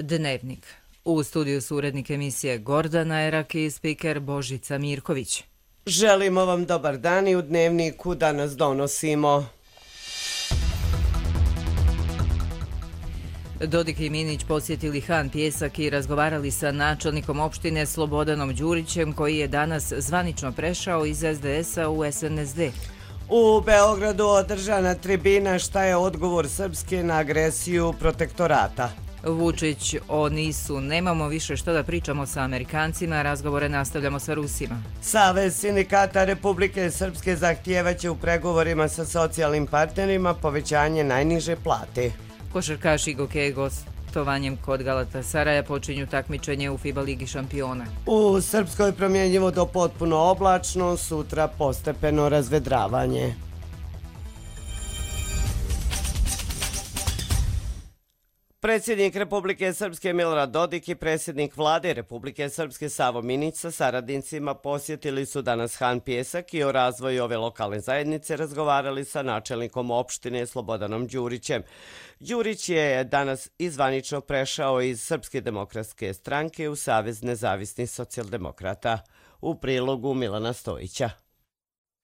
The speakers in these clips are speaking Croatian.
Dnevnik. U studiju su urednik emisije Gordana Erak i spiker Božica Mirković. Želimo vam dobar dan i u Dnevniku danas donosimo. Dodik i Minić posjetili Han Pijesak i razgovarali sa načelnikom opštine Slobodanom Đurićem, koji je danas zvanično prešao iz SDS-a u SNSD. U Beogradu održana tribina šta je odgovor Srpske na agresiju protektorata. Vučić o NIS-u: nemamo više što da pričamo sa Amerikancima, razgovore nastavljamo sa Rusima. Savez sindikata Republike Srpske zahtijevaće u pregovorima sa socijalnim partnerima povećanje najniže plate. Košarkaši Goke gostovanjem kod Galatasaraja počinju takmičenje u FIBA Ligi šampiona. U Srpskoj promjenjivo do potpuno oblačno, sutra postepeno razvedravanje. Predsjednik Republike Srpske Milorad Dodik i predsjednik Vlade Republike Srpske Savo Minić sa saradnicima posjetili su danas Han Pijesak i o razvoju ove lokalne zajednice razgovarali sa načelnikom opštine Slobodanom Đurićem. Đurić je danas zvanično prešao iz Srpske demokratske stranke u Savez nezavisnih socijaldemokrata. U prilogu Milana Stojića.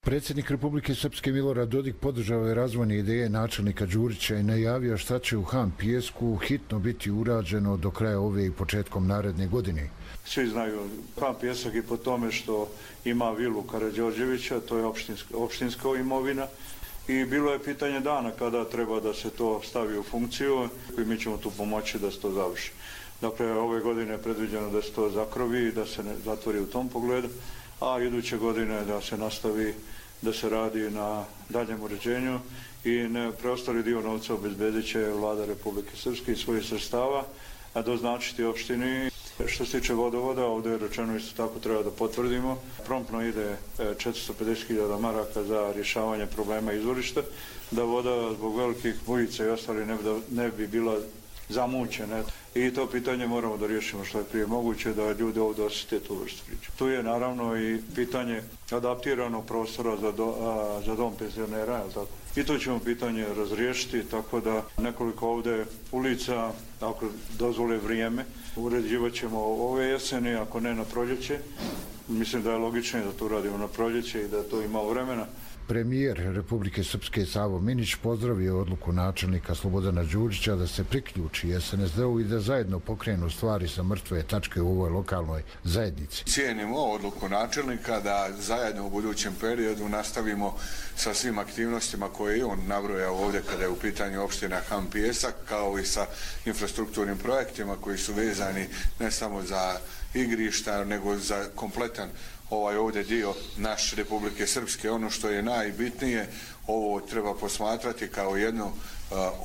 Predsjednik Republike Srpske Milorad Dodik podržao je razvojne ideje načelnika Đurića i najavio šta će u Han Pijesku hitno biti urađeno do kraja ove i početkom naredne godine. Svi znaju Han Pijesak i po tome što ima vilu Karađorđevića, to je opštinska imovina, i bilo je pitanje dana kada treba da se to stavi u funkciju i mi ćemo tu pomoći da se to završi. Dakle, ove godine je predviđeno da se to zakrovi i da se ne zatvori u tom pogledu, a iduće godine da se nastavi da se radi na daljem uređenju i preostali dio novca obezbedit će Vlada Republike Srpske i svojih sredstava, a doznačiti opštini. Što se tiče vodovoda, ovdje je rečeno isto tako treba da potvrdimo. Promptno ide 450.000 maraka za rješavanje problema izvorišta, da voda zbog velikih bujica i ostali ne bi bila zamućene. I to pitanje moramo da riješimo što je prije moguće, da ljudi ovdje osjete tu vrstu priče. Tu je naravno i pitanje adaptiranog prostora za dom penzionera, je li tako? I to ćemo pitanje razriješiti, tako da nekoliko ovdje ulica, ako dozvole vrijeme, uređivat ćemo ove jeseni, ako ne na proljeće. Mislim da je logično da to radimo na proljeće i da to ima vremena. Premijer Republike Srpske Savo Minić pozdravio odluku načelnika Slobodana Đurića da se priključi SNSD-u i da zajedno pokrenu stvari sa mrtve tačke u ovoj lokalnoj zajednici. Cijenimo odluku načelnika da zajedno u budućem periodu nastavimo sa svim aktivnostima koje je on nabrojao ovdje kada je u pitanju opština Han Pijesak, kao i sa infrastrukturnim projektima koji su vezani ne samo za igrišta, nego za kompletan ovaj ovdje dio naše Republike Srpske. Ono što je najbitnije, ovo treba posmatrati kao jednu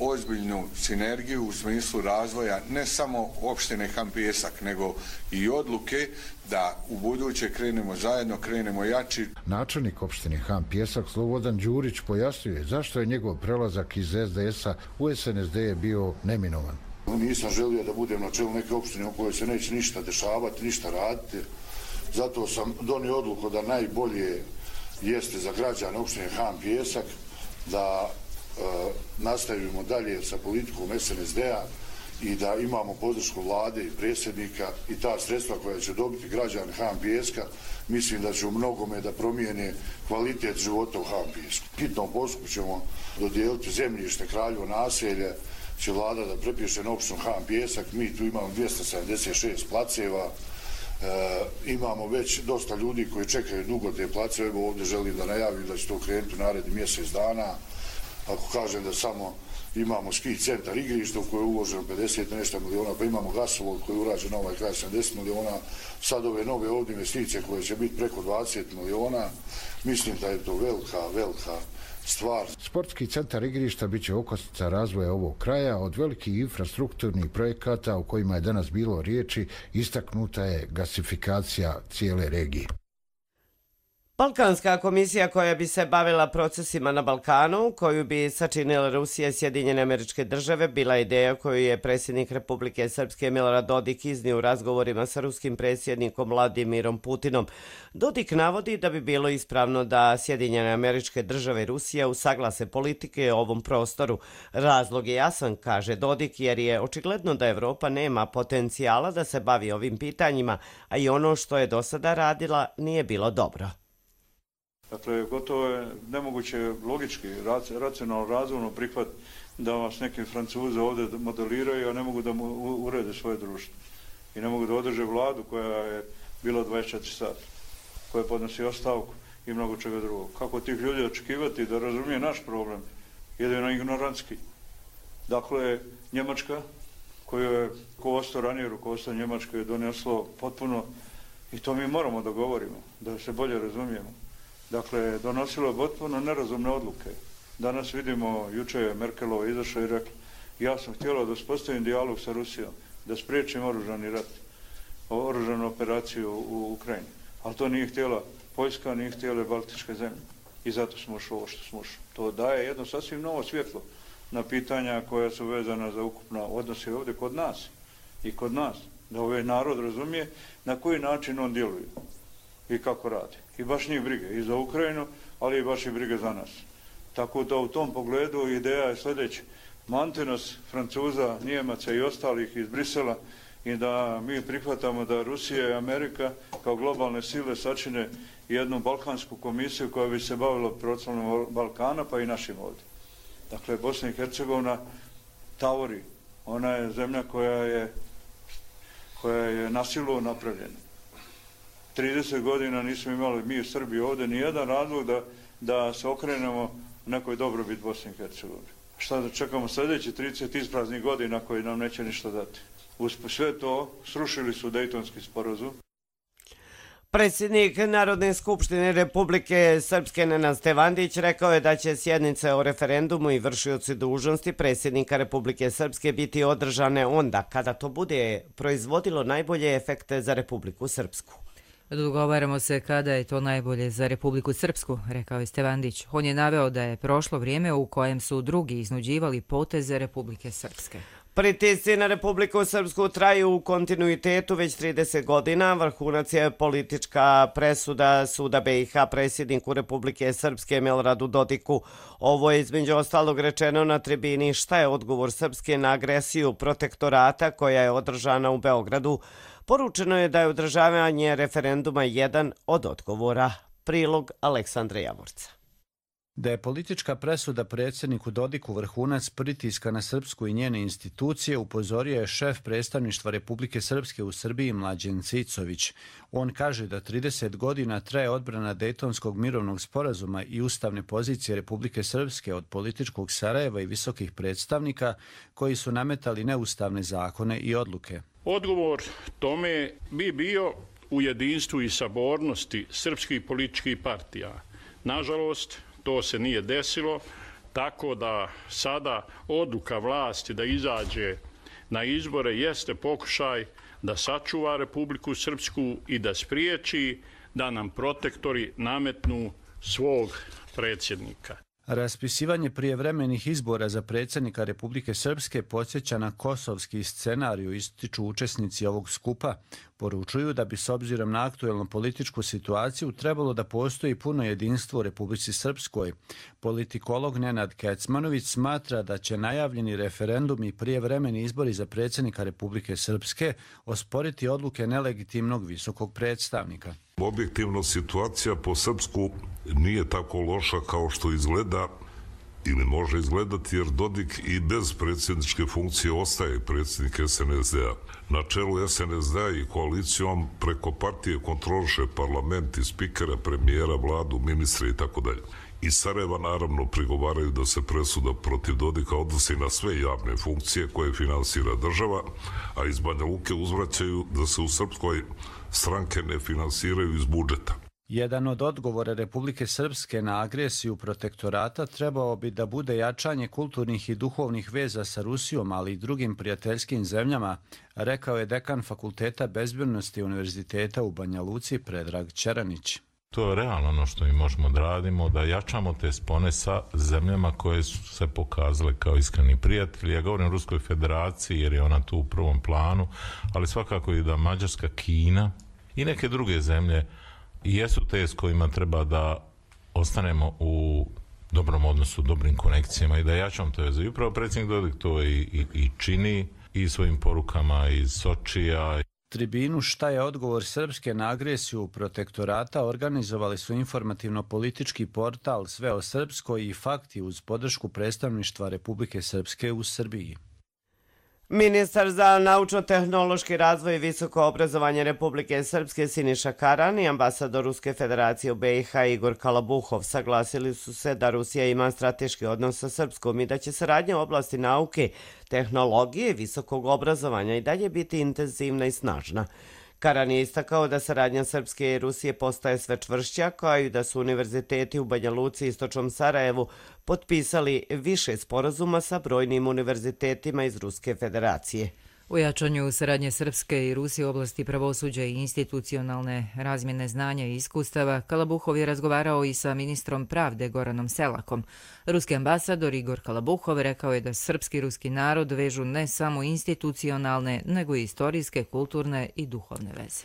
ozbiljnu sinergiju u smislu razvoja ne samo opštine Han Pijesak, nego i odluke da u buduće krenemo zajedno, krenemo jači. Načelnik opštine Han Pijesak Slobodan Đurić pojasnjuje zašto je njegov prelazak iz SDS-a u SNSD je bio neminovan. Nisam želio da budem na čelu neke opštine u kojoj se neće ništa dešavati, ništa raditi. Zato sam donio odluku da najbolje jeste za građane opštine Han Pijesak da nastavimo dalje sa politikom SNSD-a i da imamo podršku vlade i predsjednika i ta sredstva koja će dobiti građani Han Pijeska, mislim da će u mnogome da promijene kvalitet života u Han Pijesku. Hitnom postupku ćemo dodijeliti zemljište Kraljevo naselje, će vlada da prepiše na opštinu Han Pijesak. Mi tu imamo 276 placeva. Imamo već dosta ljudi koji čekaju dugo te placeve. Evo ovdje želim da najavim da će to krenuti u naredni mjesec dana. Ako kažem da samo imamo ski centar igrišta u koje je uloženo 50 nešto miliona, pa imamo gasovod koji je urađen na ovaj kraj 70 miliona, sad ove nove ovdje investicije koje će biti preko 20 miliona, mislim da je to velika stvar. Sportski centar igrišta bit će okosnica razvoja ovog kraja. Od velikih infrastrukturnih projekata o kojima je danas bilo riječi, istaknuta je gasifikacija cijele regije. Balkanska komisija koja bi se bavila procesima na Balkanu, koju bi sačinila Rusija i Sjedinjene Američke Države, bila ideja koju je predsjednik Republike Srpske Milorad Dodik iznio u razgovorima sa ruskim predsjednikom Vladimirom Putinom. Dodik navodi da bi bilo ispravno da Sjedinjene Američke Države i Rusija usaglase politike o ovom prostoru. Razlog je jasan, kaže Dodik, jer je očigledno da Evropa nema potencijala da se bavi ovim pitanjima, a i ono što je do sada radila nije bilo dobro. Dakle, gotovo je nemoguće logički, racionalno, razumno prihvat da vas neki Francuze ovdje modeliraju, a ne mogu da mu urede svoje društvo. I ne mogu da održe vladu koja je bila 24 sata, koja podnosi ostavku i mnogo čega drugog. Kako tih ljudi očekivati da razumije naš problem? Jedino ignorantski. Dakle, Njemačka, koju je ranije rukovodstvo Njemačke je doneslo potpuno, i to mi moramo da govorimo, da se bolje razumijemo. Dakle, donosilo je potpuno nerazumne odluke. Danas vidimo, juče je Merkelova izašla i rekla, ja sam htjela da uspostavim dijalog sa Rusijom, da spriječim oružani rat, oružanu operaciju u Ukrajini. Ali to nije htjela Poljska, nije htjela Baltičke zemlje. I zato smo ušli ovo što smo ušli. To daje jedno sasvim novo svjetlo na pitanja koja su vezana za ukupno odnose ovdje kod nas i kod nas. Da ovaj narod razumije na koji način on djeluje i kako radi. I baš njih brige i za Ukrajinu, ali i baš i brige za nas. Tako da u tom pogledu ideja je sljedeća. Mante nas Francuza, Njemaca i ostalih iz Brisela i da mi prihvatamo da Rusija i Amerika kao globalne sile sačine jednu balkansku komisiju koja bi se bavila procesom Balkana pa i našim ovdje. Dakle, Bosna i Hercegovina tavori. Ona je zemlja koja je na silu napravljena. 30 godina nismo imali mi u Srbiji ovdje nijedan razlog da se okrenemo nekoj dobrobit Bosne i Hercegovine. Šta da čekamo sljedeći 30 ispraznih godina koji nam neće ništa dati. Uz sve to srušili su Dejtonski sporazum. Predsjednik Narodne skupštine Republike Srpske Nenad Stevandić rekao je da će sjednice o referendumu i vršioci dužnosti predsjednika Republike Srpske biti održane onda kada to bude proizvodilo najbolje efekte za Republiku Srpsku. Dogovaramo se kada je to najbolje za Republiku Srpsku, rekao je Stevandić. On je naveo da je prošlo vrijeme u kojem su drugi iznuđivali poteze Republike Srpske. Pritisci na Republiku Srpsku traju u kontinuitetu već 30 godina. Vrhunac je politička presuda Suda BiH predsjedniku Republike Srpske Miloradu Dodiku. Ovo je između ostalog rečeno na tribini Šta je odgovor Srpske na agresiju protektorata koja je održana u Beogradu. Poručeno je da je održavanje referenduma jedan od odgovora. Prilog Aleksandra Javorca. Da je politička presuda predsjedniku Dodiku vrhunac pritiska na Srpsku i njene institucije, upozorio je šef predstavništva Republike Srpske u Srbiji Mlađen Cicović. On kaže da 30 godina traje odbrana Dejtonskog mirovnog sporazuma i ustavne pozicije Republike Srpske od političkog Sarajeva i visokih predstavnika koji su nametali neustavne zakone i odluke. Odgovor tome bi bio u jedinstvu i sabornosti srpskih političkih partija. Nažalost, to se nije desilo, tako da sada odluka vlasti da izađe na izbore jeste pokušaj da sačuva Republiku Srpsku i da spriječi da nam protektori nametnu svog predsjednika. Raspisivanje prijevremenih izbora za predsjednika Republike Srpske podsjeća na kosovski scenariju, ističu učesnici ovog skupa. Poručuju da bi s obzirom na aktuelnu političku situaciju trebalo da postoji puno jedinstvo u Republici Srpskoj. Politikolog Nenad Kecmanović smatra da će najavljeni referendum i prijevremeni izbori za predsjednika Republike Srpske osporiti odluke nelegitimnog visokog predstavnika. Objektivno situacija po Srpsku nije tako loša kao što izgleda ili može izgledati, jer Dodik i bez predsjedničke funkcije ostaje predsjednik SNSD-a. Na čelu SNSD-a i koalicijom preko partije kontroliše parlament i spikera, premijera, vladu, ministre i tako dalje. Iz Sarajeva naravno prigovaraju da se presuda protiv Dodika odnosi na sve javne funkcije koje finansira država, a iz Banja Luke uzvraćaju da se u Srpskoj stranke ne finansiraju iz budžeta. Jedan od odgovora Republike Srpske na agresiju protektorata trebao bi da bude jačanje kulturnih i duhovnih veza sa Rusijom, ali i drugim prijateljskim zemljama, rekao je dekan Fakulteta bezbednosti Univerziteta u Banja Luci Predrag Čeranić. To je realno ono što mi možemo da radimo, da jačamo te spone sa zemljama koje su se pokazale kao iskreni prijatelji. Ja govorim o Ruskoj federaciji jer je ona tu u prvom planu, ali svakako i da Mađarska, Kina i neke druge zemlje jesu te s kojima treba da ostanemo u dobrom odnosu, dobrim konekcijama i da jačamo te veze. I upravo predsjednik Dodik to i čini i svojim porukama iz Sočija. Tribinu Šta je odgovor Srpske na agresiju protektorata organizovali su informativno-politički portal Sve o Srpskoj i Fakti uz podršku predstavništva Republike Srpske u Srbiji. Ministar za naučno-tehnološki razvoj i visoko obrazovanje Republike Srpske Siniša Karan i ambasador Ruske federacije u BiH Igor Kalabuhov saglasili su se da Rusija ima strateški odnos sa Srpskom i da će saradnja u oblasti nauke, tehnologije i visokog obrazovanja i dalje biti intenzivna i snažna. Karan je istakao da saradnja Srpske i Rusije postaje sve čvršća, kao i da su univerziteti u Banja Luci i Istočnom Sarajevu potpisali više sporazuma sa brojnim univerzitetima iz Ruske federacije. U jačanju saradnje Srpske i Rusije u oblasti pravosuđa i institucionalne razmjene znanja i iskustava, Kalabuhov je razgovarao i sa ministrom pravde Goranom Selakom. Ruski ambasador Igor Kalabuhov rekao je da srpski i ruski narod vežu ne samo institucionalne, nego i istorijske, kulturne i duhovne veze.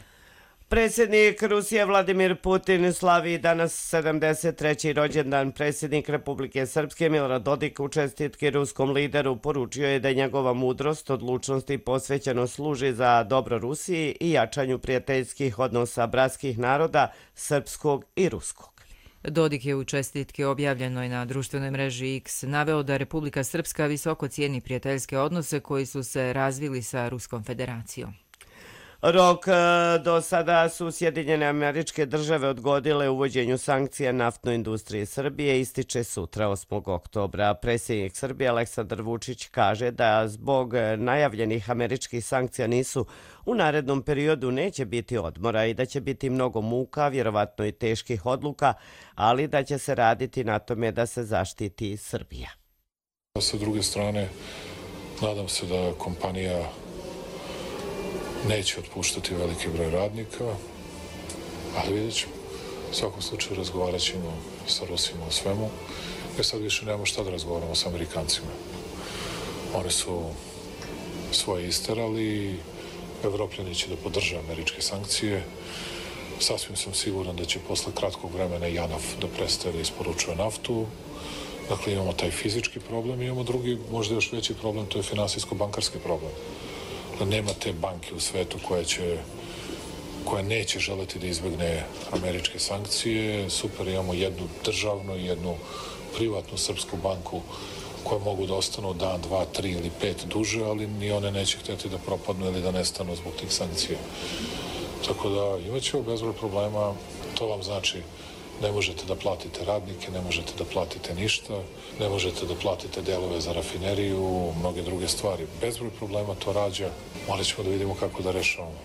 Predsjednik Rusije Vladimir Putin slavi danas 73. rođendan. Predsjednik Republike Srpske Milorad Dodik u čestitki ruskom lideru poručio je da njegova mudrost, odlučnost i posvećenost služi za dobro Rusiji i jačanju prijateljskih odnosa bratskih naroda, srpskog i ruskog. Dodik je u čestitki objavljenoj na društvenoj mreži X naveo da Republika Srpska visoko cijeni prijateljske odnose koji su se razvili sa Ruskom federacijom. Rok do sada su Sjedinjene Američke Države odgodile uvođenju sankcija naftnoj industriji Srbije ističe sutra 8. oktobra. Predsjednik Srbije Aleksandar Vučić kaže da zbog najavljenih američkih sankcija u narednom periodu neće biti odmora i da će biti mnogo muka, vjerovatno i teških odluka, ali da će se raditi na tome da se zaštiti Srbija. Sa druge strane, nadam se da kompanija neće otpuštati veliki broj radnika, ali vidjet ćemo. U svakom slučaju razgovarat ćemo sa Rusima o svemu, jer sad više nemamo šta da razgovaramo s Amerikancima. Oni su svoje isterali, Evropljani će da podrže američke sankcije. Sasvim sam siguran da će posle kratkog vremena JANAF da prestaje da isporučuje naftu. Dakle, imamo taj fizički problem i imamo drugi, možda još veći problem, to je finansijsko-bankarski problem. Nema te banke u svetu koja neće želeti da izbegne američke sankcije. Super, imamo jednu državnu i jednu privatnu srpsku banku koje mogu da ostanu dan, 2, 3 ili 5 duže, ali ni one neće htjeti da propadnu ili da nestanu zbog tih sankcija. Tako da imat ćemo bezbroj problema. To vam znači ne možete da platite radnike, ne možete da platite ništa, ne možete da platite delove za rafineriju, mnoge druge stvari. Bezbroj problema to rađa, morat ćemo da vidimo kako da rešavamo.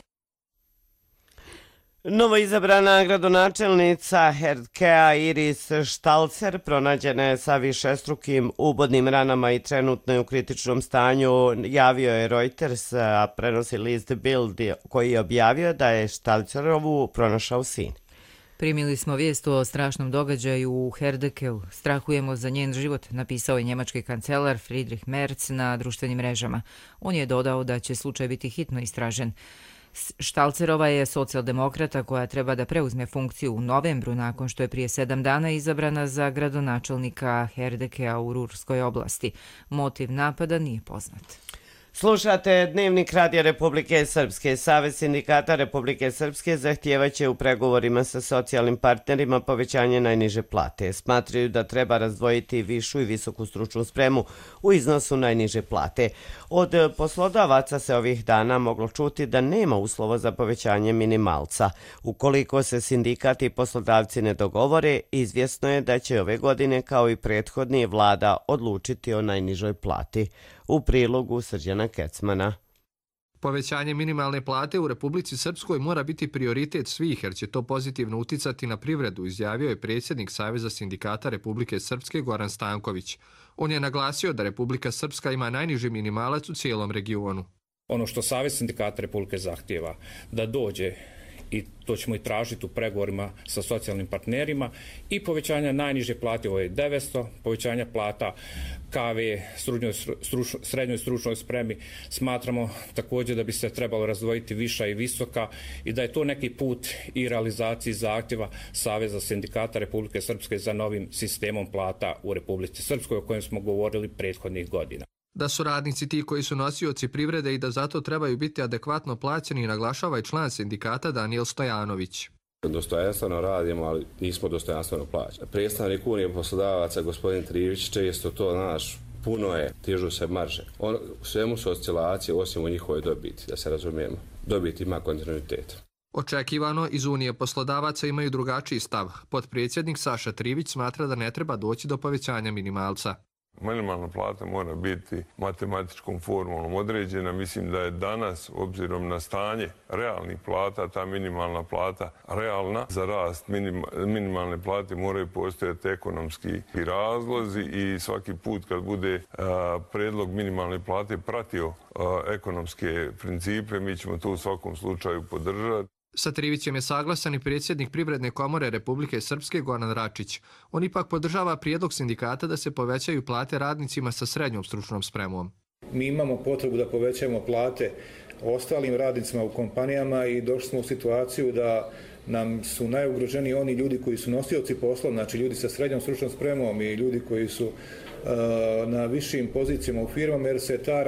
Novoizabrana gradonačelnica Herdkea Iris Štalcer pronađena je sa višestrukim ubodnim ranama i trenutno je u kritičnom stanju, javio je Reuters, a prenosi list Bild koji je objavio da je Štalcerovu pronašao sin. Primili smo vijest o strašnom događaju u Herdekeu. Strahujemo za njen život, napisao je njemački kancelar Friedrich Merz na društvenim mrežama. On je dodao da će slučaj biti hitno istražen. Štalcerova je socijaldemokrata koja treba da preuzme funkciju u novembru nakon što je prije 7 dana izabrana za gradonačelnika Herdekea u Rurskoj oblasti. Motiv napada nije poznat. Slušate Dnevnik Radija Republike Srpske. Savez sindikata Republike Srpske zahtijevaće u pregovorima sa socijalnim partnerima povećanje najniže plate. Smatraju da treba razdvojiti višu i visoku stručnu spremu u iznosu najniže plate. Od poslodavaca se ovih dana moglo čuti da nema uslova za povećanje minimalca. Ukoliko se sindikati i poslodavci ne dogovore, izvjesno je da će ove godine kao i prethodni vlada odlučiti o najnižoj plati. U prilogu Srđana Kecmana. Povećanje minimalne plate u Republici Srpskoj mora biti prioritet svih jer će to pozitivno uticati na privredu, izjavio je predsjednik Saveza sindikata Republike Srpske Goran Stanković. On je naglasio da Republika Srpska ima najniži minimalac u cijelom regionu. Ono što Savez sindikata Republike zahtijeva da dođe i to ćemo i tražiti u pregovorima sa socijalnim partnerima, i povećanja najniže plate, ovo je 900, povećanja plata KV, srednjoj stručnoj spremi. Smatramo također da bi se trebalo razdvojiti viša i visoka i da je to neki put i realizaciji zahtjeva Saveza sindikata Republike Srpske za novim sistemom plata u Republici Srpskoj o kojem smo govorili prethodnih godina. Da su radnici ti koji su nosioci privrede i da zato trebaju biti adekvatno plaćeni, naglašava i član sindikata Danijel Stojanović. Dostojanstveno radimo, ali nismo dostojanstveno plaćeni. Predstavnik Unije poslodavaca, gospodin Trivić, često to puno je, dižu se marže. U svemu su oscilacije, osim u njihovoj dobiti, da se razumijemo. Dobit ima kontinuitet. Očekivano, iz Unije poslodavaca imaju drugačiji stav. Potpredsjednik Saša Trivić smatra da ne treba doći do povećanja minimalca. Minimalna plata mora biti matematičkom formulom određena. Mislim da je danas, obzirom na stanje realnih plata, ta minimalna plata realna. Za rast minimalne plate moraju postojati ekonomski razlozi i svaki put kad bude predlog minimalne plate pratio ekonomske principe, mi ćemo to u svakom slučaju podržati. Sa Trivićem je saglasan i predsjednik Privredne komore Republike Srpske Goran Račić. On ipak podržava prijedlog sindikata da se povećaju plate radnicima sa srednjom stručnom spremom. Mi imamo potrebu da povećamo plate ostalim radnicima u kompanijama i došli smo u situaciju da nam su najugroženiji oni ljudi koji su nosioci posla, znači ljudi sa srednjom stručnom spremom i ljudi koji su na višim pozicijama u firmama, jer se ta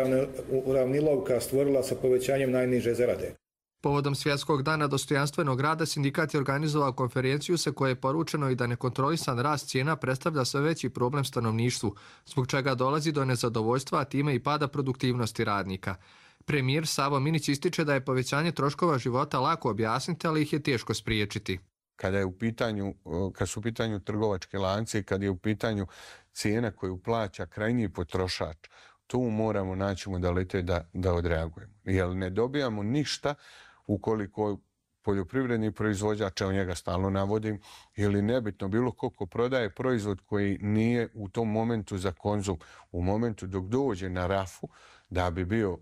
uravnilovka stvorila sa povećanjem najniže zarade. Povodom Svjetskog dana dostojanstvenog rada sindikat je organizovao konferenciju sa koje je poručeno i da nekontrolisan rast cijena predstavlja sve veći problem stanovništvu, zbog čega dolazi do nezadovoljstva, a time i pada produktivnosti radnika. Premijer Savo Minić ističe da je povećanje troškova života lako objasniti, ali ih je teško spriječiti. Kad su u pitanju trgovačke lance i kad je u pitanju cijena koju plaća krajnji potrošač, tu moramo naći modalitet da odreagujemo. Jer ne dobijamo ništa ukoliko poljoprivredni proizvođač, evo njega stalno navodim, ili nebitno bilo ko prodaje proizvod koji nije u tom momentu za konzum, u momentu dok dođe na rafu da bi bio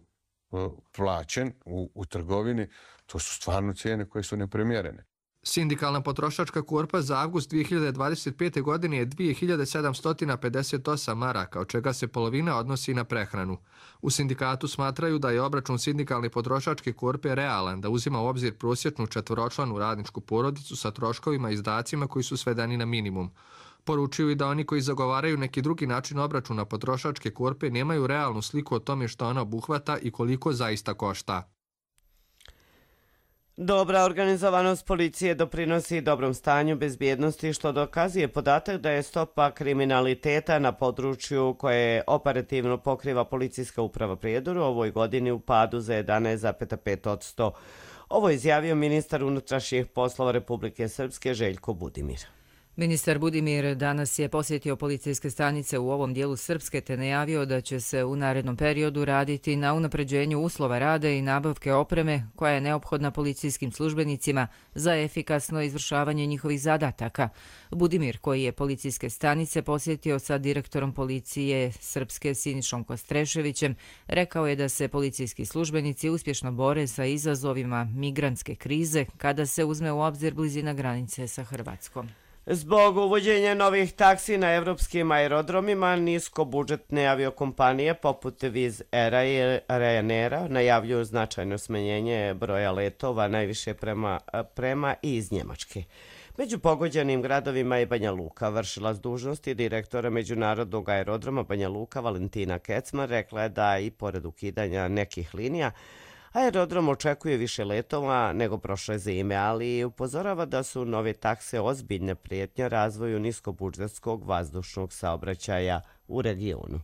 plaćen u trgovini, to su stvarno cijene koje su neprimjerene. Sindikalna potrošačka korpa za avgust 2025. godine je 2758 maraka, od čega se polovina odnosi na prehranu. U sindikatu smatraju da je obračun sindikalne potrošačke korpe realan, da uzima u obzir prosječnu četvoročlanu radničku porodicu sa troškovima i izdacima koji su svedeni na minimum. Poručuju i da oni koji zagovaraju neki drugi način obračuna potrošačke korpe nemaju realnu sliku o tome što ona obuhvata i koliko zaista košta. Dobra organizovanost policije doprinosi dobrom stanju bezbjednosti, što dokazuje podatak da je stopa kriminaliteta na području koje operativno pokriva Policijska uprava Prijedor u ovoj godini u padu za 11,5%. Ovo je izjavio ministar unutrašnjih poslova Republike Srpske Željko Budimir. Ministar Budimir danas je posjetio policijske stanice u ovom dijelu Srpske te najavio da će se u narednom periodu raditi na unapređenju uslova rada i nabavke opreme koja je neophodna policijskim službenicima za efikasno izvršavanje njihovih zadataka. Budimir, koji je policijske stanice posjetio sa direktorom policije Srpske Sinišom Kostreševićem, rekao je da se policijski službenici uspješno bore sa izazovima migrantske krize kada se uzme u obzir blizina granice sa Hrvatskom. Zbog uvođenja novih taksi na evropskim aerodromima, niskobudžetne aviokompanije poput Wizz Aira i Ryanaira najavljuju značajno smanjenje broja letova, najviše prema i iz Njemačke. Među pogođenim gradovima je Banja Luka. Vršilac dužnosti direktora Međunarodnog aerodroma Banja Luka Valentina Kecman rekla je da i pored ukidanja nekih linija, aerodrom očekuje više letova nego prošle zime, ali upozorava da su nove takse ozbiljna prijetnja razvoju niskobudžetskog vazdušnog saobraćaja u regionu.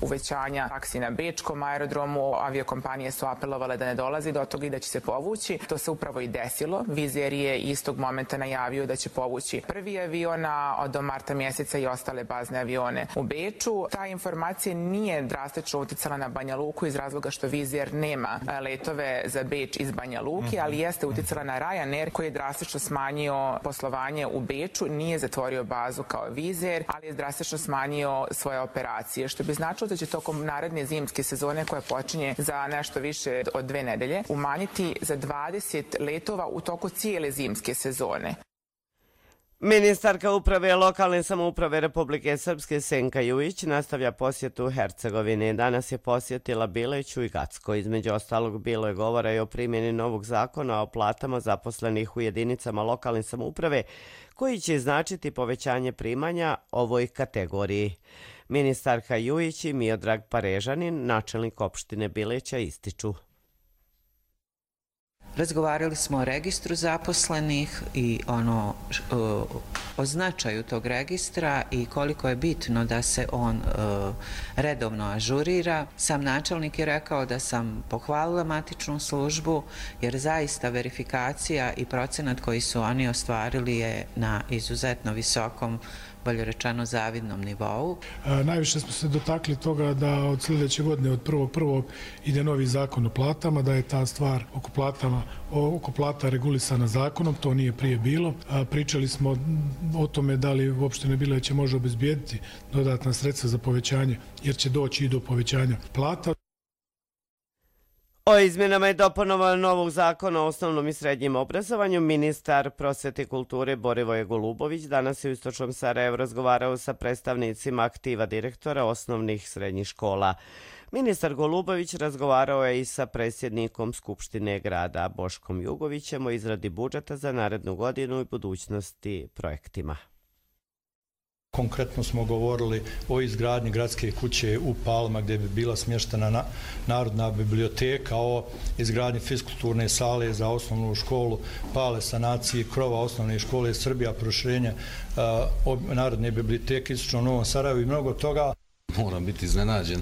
Uvećanja taksi na bečkom aerodromu, aviokompanije su apelovale da ne dolazi do toga i da će se povući. To se upravo i desilo. Wizz Air je istog momenta najavio da će povući prvi avion, a do marta mjeseca i ostale bazne avione u Beču. Ta informacija nije drastično uticala na Banja Luku iz razloga što Wizz Air nema letove za Beč iz Banja Luke, ali jeste uticala na Ryanair koji je drastično smanjio poslovanje u Beču, nije zatvorio bazu kao Wizz Air, ali je drastično smanjio svoje operacije, što bi značilo da će tokom naredne zimske sezone koja počinje za nešto više od 2 nedelje umanjiti za 20 letova u toku cijele zimske sezone. Ministarka uprave lokalne samouprave Republike Srpske Senka Jujić nastavlja posjetu Hercegovine. Danas je posjetila Bileću i Gacko. Između ostalog bilo je govora i o primjeni novog zakona o platama zaposlenih u jedinicama lokalne samouprave koji će značiti povećanje primanja ovoj kategoriji. Ministarka Jujić i Miodrag Parežanin, načelnik opštine Bileća, ističu. Razgovarali smo o registru zaposlenih i o značaju tog registra i koliko je bitno da se on redovno ažurira. Sam načelnik je rekao da sam pohvalila matičnu službu jer zaista verifikacija i procenat koji su oni ostvarili je na izuzetno visokom, bolje rečeno zavidnom nivou. Najviše smo se dotakli toga da od sljedeće godine, od 1.1. ide novi zakon o platama, da je ta stvar oko plata regulisana zakonom, to nije prije bilo. Pričali smo o tome da li u opštini Bileće može obezbijediti dodatna sredstva za povećanje, jer će doći i do povećanja plata. O izmjenama i dopunama novog zakona o osnovnom i srednjem obrazovanju ministar prosvete i kulture Borivoje Golubović danas je u Istočnom Sarajevu razgovarao sa predstavnicima aktiva direktora osnovnih i srednjih škola. Ministar Golubović razgovarao je i sa predsjednikom Skupštine grada Boškom Jugovićem o izradi budžeta za narednu godinu i budućnosti projektima. Konkretno smo govorili o izgradnji gradske kuće u Palma gdje bi bila smještena Narodna biblioteka, o izgradnji fiskulturne sale za osnovnu školu Pale, sanaciji krova osnovne škole Srbija, proširenje Narodne biblioteke Istočnom Novom Sarajevu i mnogo toga. Moram biti iznenađen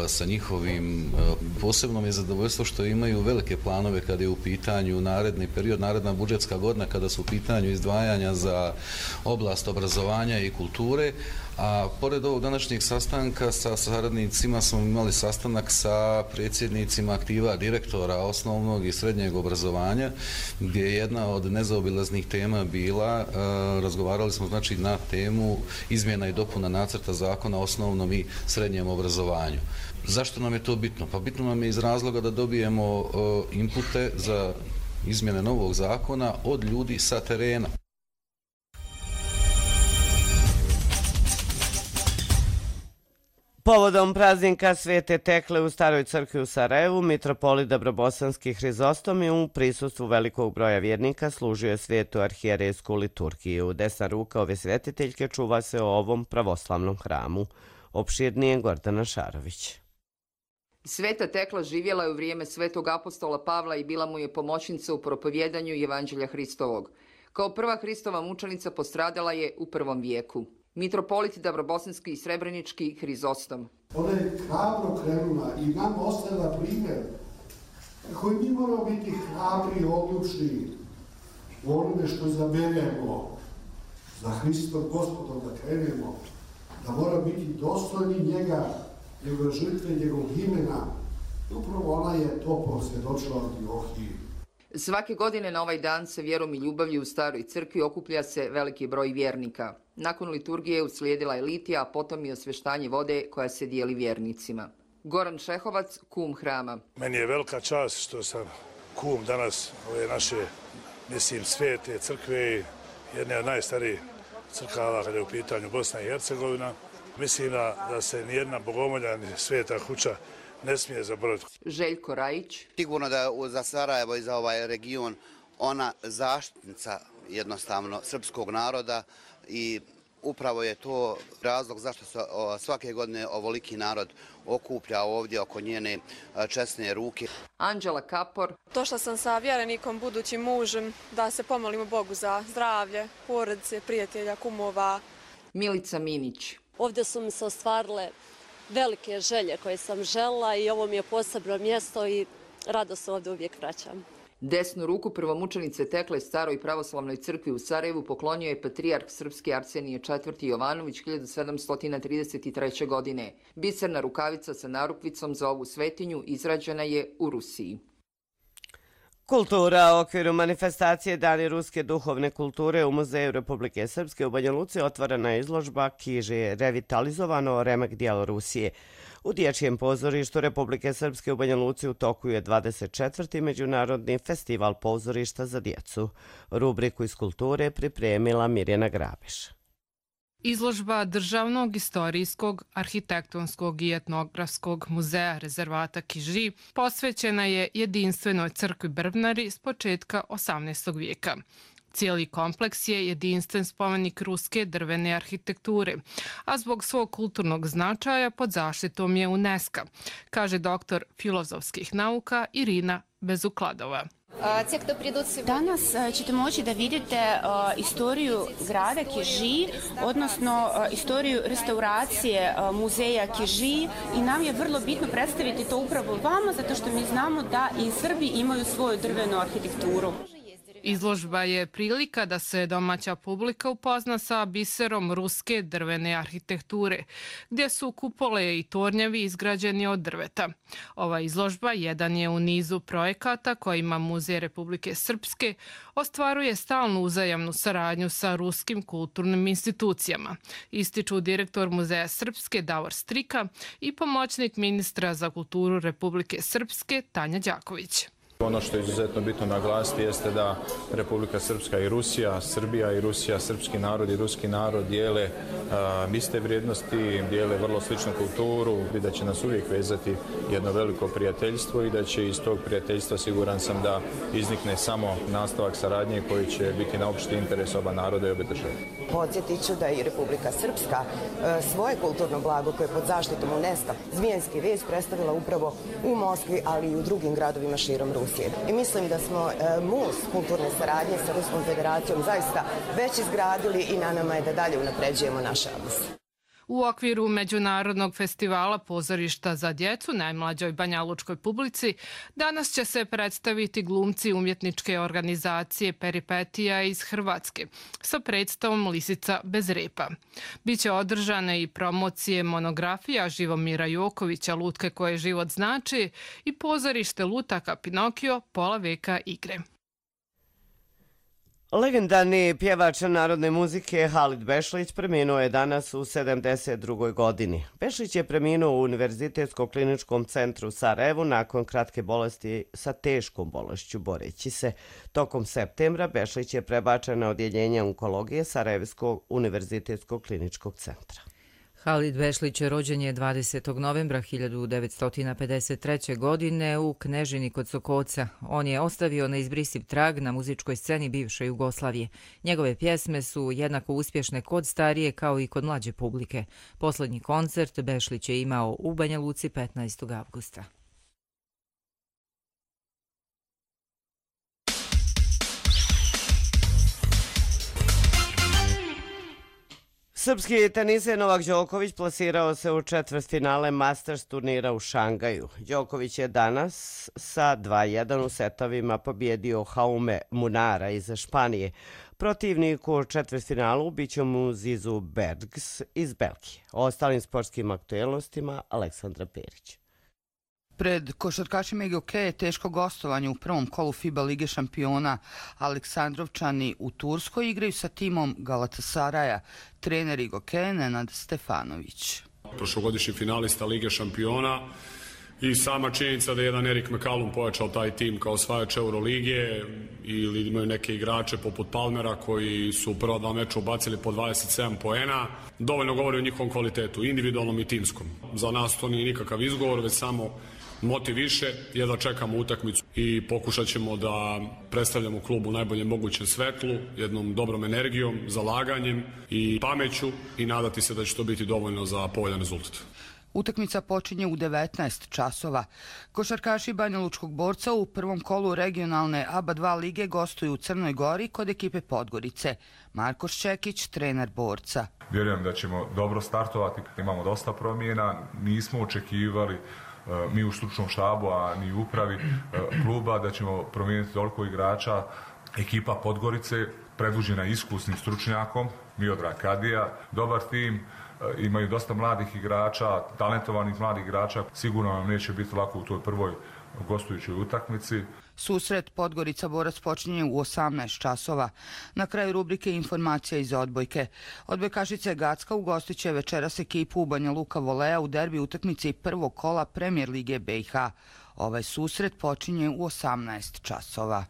sa njihovim. Posebno mi je zadovoljstvo što imaju velike planove kada je u pitanju naredni period, naredna budžetska godina, kada su u pitanju izdvajanja za oblast obrazovanja i kulture. A pored ovog današnjeg sastanka sa saradnicima smo imali sastanak sa predsjednicima aktiva direktora osnovnog i srednjeg obrazovanja, gdje je jedna od nezaobilaznih tema bila, razgovarali smo znači na temu izmjena i dopuna nacrta zakona o osnovnom i srednjem obrazovanju. Zašto nam je to bitno? Pa bitno nam je iz razloga da dobijemo inpute za izmjene novog zakona od ljudi sa terena. Povodom praznika Svete Tekle u Staroj crkvi u Sarajevu, mitropolit Dabrobosanski Hrizostom u prisustvu velikog broja vjernika služio je svetu arhijerejsku liturgiju. Desna ruka ove svetiteljke čuva se o ovom pravoslavnom hramu. Opširnije Gordana Šarović. Sveta Tekla živjela je u vrijeme svetog apostola Pavla i bila mu je pomoćnica u propovjedanju Evanđelja Hristovog. Kao prva Hristova mučenica postradala je u 1. vijeku. Mitropolit Dabrobosanski i Srebrenički Hrizostom. Ona je hrabro krenula i nam ostavila primjer koji mi moramo biti hrabri i odlučni u onome što zaberemo za Hristov Gospodom da krenemo, da mora biti dostojni njega, njegove žrtve, njegovog imena. Upravo ona je to posvjedočila Antiohiji. Svake godine na ovaj dan se vjerom i ljubavlju u Staroj crkvi okuplja se veliki broj vjernika. Nakon liturgije uslijedila je litija, a potom i osvještanje vode koja se dijeli vjernicima. Goran Šehovac, kum hrama. Meni je velika čast što sam kum danas ove naše, svete crkve, jedne od najstarijih crkava kada je u pitanju Bosna i Hercegovina. Mislim da se nijedna bogomolja ni sveta kuća ne smije zaboraviti. Željko Rajić. Sigurno da je za Sarajevo i za ovaj region ona zaštitnica jednostavno srpskog naroda i upravo je to razlog zašto se svake godine ovoliki narod okuplja ovdje oko njene česne ruke. Anđela Kapor. Došla sam sa vjerenikom, budućim mužem, da se pomolimo Bogu za zdravlje, porodice, prijatelja, kumova. Milica Minić. Ovdje su mi se ostvarile velike želje koje sam željela i ovo mi je posebno mjesto i rado se ovdje uvijek vraćam. Desnu ruku prvomučenice Tekle Staroj pravoslavnoj crkvi u Sarajevu poklonio je patrijarh srpski Arsenije IV. Jovanović 1733. godine. Biserna rukavica sa narukvicom za ovu svetinju izrađena je u Rusiji. Kultura u okviru manifestacije Dani ruske duhovne kulture u Muzeju Republike Srpske u Banja Luci otvorena je izložba Kiže revitalizovano remek dijelo Rusije. U Dječjem pozorištu Republike Srpske u Banja Luci u toku je 24. Međunarodni festival pozorišta za djecu. Rubriku iz kulture pripremila Mirjana Grabiš. Izložba Državnog istorijskog, arhitektonskog i etnografskog muzeja rezervata Kiži posvećena je jedinstvenoj crkvi Brvnari s početka 18. vijeka. Cijeli kompleks je jedinstven spomenik ruske drvene arhitekture, a zbog svog kulturnog značaja pod zaštitom je UNESCO, kaže doktor filozofskih nauka Irina Bezukladova. Danas ćete moći da vidite istoriju grada Kiži, odnosno istoriju restauracije muzeja Kiži i nam je vrlo bitno predstaviti to upravo vama, zato što mi znamo da i Srbi imaju svoju drvenu arhitekturu. Izložba je prilika da se domaća publika upozna sa biserom ruske drvene arhitekture, gdje su kupole i tornjevi izgrađeni od drveta. Ova izložba jedan je u nizu projekata kojima Muzej Republike Srpske ostvaruje stalnu uzajamnu saradnju sa ruskim kulturnim institucijama, ističu direktor Muzeja Srpske Davor Strika i pomoćnik ministra za kulturu Republike Srpske Tanja Đaković. Ono što je izuzetno bitno naglasiti jeste da Republika Srpska i Rusija, Srbija i Rusija, srpski narod i ruski narod dijele iste vrijednosti, dijele vrlo sličnu kulturu i da će nas uvijek vezati jedno veliko prijateljstvo i da će iz tog prijateljstva, siguran sam, da iznikne samo nastavak saradnje koji će biti na opšti interes oba naroda i obe države. Podsjetit ću da je i Republika Srpska svoje kulturno blago koje je pod zaštitom UNESCO, Zmijanski vez, predstavila upravo u Moskvi, ali i u drugim gradovima širom Rusije. I mislim da smo most kulturne saradnje sa Ruskom federacijom zaista već izgradili i na nama je da dalje unapređujemo naše odnose. U okviru Međunarodnog festivala pozorišta za djecu najmlađoj banjalučkoj publici danas će se predstaviti glumci umjetničke organizacije Peripetija iz Hrvatske sa predstavom Lisica bez repa. Biće održane i promocije monografija Živomira Jokovića Lutke koje život znači i pozorište lutaka Pinokio pola veka igre. Legendarni pjevač narodne muzike Halid Bešlić preminuo je danas u 72. godini. Bešlić je preminuo u Univerzitetskom kliničkom centru u Sarajevu nakon kratke bolesti sa teškom bolešću boreći se. Tokom septembra Bešlić je prebačen na odjeljenje onkologije Sarajevskog univerzitetskog kliničkog centra. Halid Bešlić rođen je 20. novembra 1953. godine u Knežini kod Sokoca. On je ostavio neizbrisiv trag na muzičkoj sceni bivše Jugoslavije. Njegove pjesme su jednako uspješne kod starije kao i kod mlađe publike. Posljednji koncert Bešlić je imao u Banja Luci 15. avgusta. Srpski teniser Novak Đoković plasirao se u četvrtfinale Masters turnira u Šangaju. Đoković je danas sa 2:1 u setovima pobjedio Jaume Munara iz Španije. Protivnik u četvrtfinalu biće mu Zizu Bergs iz Belgije. O ostalim sportskim aktuelnostima Aleksandra Perić. Pred košarkašima IGOK je teško gostovanje u prvom kolu FIBA Lige šampiona. Aleksandrovčani u Turskoj igraju sa timom Galatasaraja. Trener IGOK Nenad Stefanović. Prošlogodišnji finalista Lige šampiona i sama činjenica da je jedan Erik McCallum pojačao taj tim kao osvajač Euroligije ili imaju neke igrače poput Palmera koji su u prva dva meča ubacili po 27 poena, dovoljno govori o njihovom kvalitetu, individualnom i timskom. Za nas to nije nikakav izgovor, već samo motiv više je da čekamo utakmicu i pokušat ćemo da predstavljamo klub u najboljem mogućem svetlu, jednom dobrom energijom, zalaganjem i pameću i nadati se da će to biti dovoljno za povoljan rezultat. Utakmica počinje u 19 časova. Košarkaši Banjalučkog Borca u prvom kolu regionalne ABA 2 lige gostuju u Crnoj Gori kod ekipe Podgorice. Marko Ščekić, trener Borca. Vjerujem da ćemo dobro startovati, imamo dosta promjena, nismo očekivali mi u stručnom štabu, a ni u upravi kluba da ćemo promijeniti toliko igrača. Ekipa Podgorice predvođena iskusnim stručnjakom, Miodrag Kadija, dobar tim, imaju dosta mladih igrača, talentovanih mladih igrača. Sigurno nam neće biti lako u toj prvoj gostujućoj utakmici. Susret Podgorica Borac počinje u 18 časova. Na kraju rubrike informacija iz odbojke. Odbojkašice Gacka ugostit će večeras ekipu Banja Luka Volea u derbi utakmici prvog kola Premijer lige BiH. Ovaj susret počinje u 18 časova.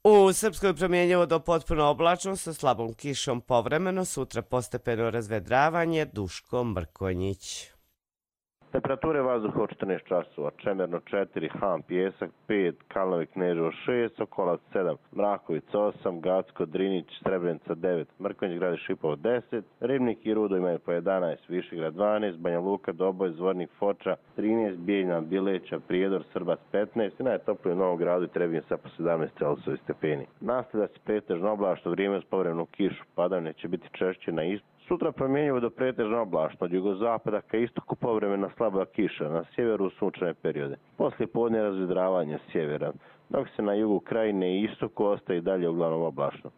U Srpskoj promjenjivo do potpuno oblačno sa slabom kišom povremeno, sutra postepeno razvedravanje. Duško Mrkonjić. Temperature vazduha od 14 časova, Čemerno 4, Han Pjesak 5, Kalnovi Kneževo 6, Sokolac 7, Mrakovic 8, Gacko, Drinić, Srebrenica 9, Mrkonjić, Grad Šipov 10, Ribnik i Rudo imaju po 11, Višegrad 12, Banja Luka, Doboj, Zvornik, Foča 13, Bijeljna, Bileća, Prijedor, Srbac 15 i najtoplije u Novom Gradu i Trebinje sa po 17 Celsijevi stepeni. Nastavlja se pretežno oblačno vrijeme uz povremenu kišu, padavine će biti češće na istoku. Sutra promjenjivo do pretežno oblačno, od jugozapada ka istoku povremena slaba kiša, na sjeveru sunčane periode. Poslije podne razvedravanje sjevera, dok se na jugu krajine i istoku ostaje i dalje uglavnom oblačno.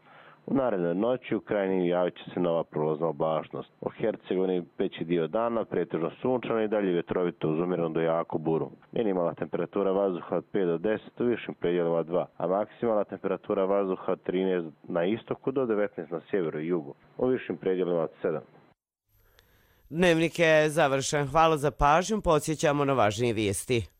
U narednoj noći u krajini javit će se nova prolazna oblačnost. U Hercegovini veći dio dana pretežno sunčano i dalje vjetrovito uz umjerenu do jaku buru. Minimalna temperatura vazduha od 5 do 10 u višim predjelima 2, a maksimalna temperatura vazduha od 13 na istoku do 19 na sjeveru i jugu. U višim predjelima od 7. Dnevnik je završen. Hvala za pažnju. Podsjećamo na važnije vijesti.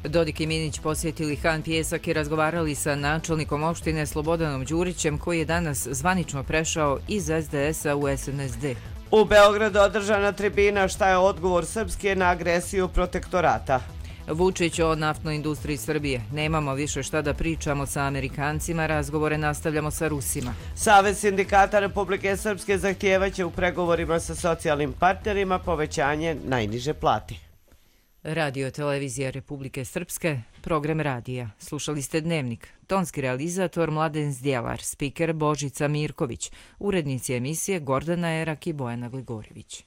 Dodik i Minić posjetili Han Pjesak i razgovarali sa načelnikom opštine Slobodanom Đurićem, koji je danas zvanično prešao iz SDS-a u SNSD. U Beogradu održana tribina Šta je odgovor Srpske na agresiju protektorata. Vučić o naftnoj industriji Srbije. Nemamo više šta da pričamo sa Amerikancima, razgovore nastavljamo sa Rusima. Savez sindikata Republike Srpske zahtijevaće u pregovorima sa socijalnim partnerima povećanje najniže plate. Radio televizija Republike Srpske, program radija. Slušali ste Dnevnik. Tonski realizator Mladen Zdjelar, spiker Božica Mirković, urednici emisije Gordana Erak i Bojana Gligorjević.